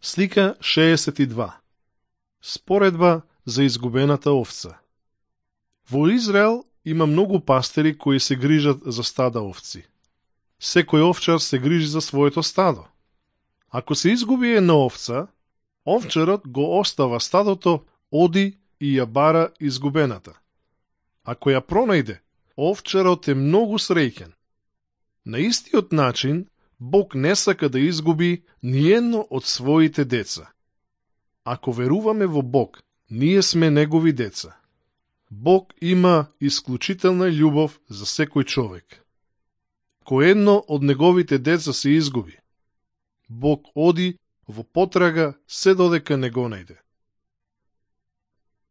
Слика 62. Споредба за изгубената овца. Во Израел има многу пастири кои се грижат за стада овци. Секој овчар се грижи за своето стадо. Ако се изгуби една овца, овчарот го остава стадото, оди и ја бара изгубената. Ако ја пронајде, овчарот е многу среќен. На истиот начин, Бог не сака да изгуби ниедно од своите деца. Ако веруваме во Бог, ние сме Негови деца. Бог има исклучителна љубов за секој човек. Кој едно од Неговите деца се изгуби, Бог оди во потрага се додека не го најде.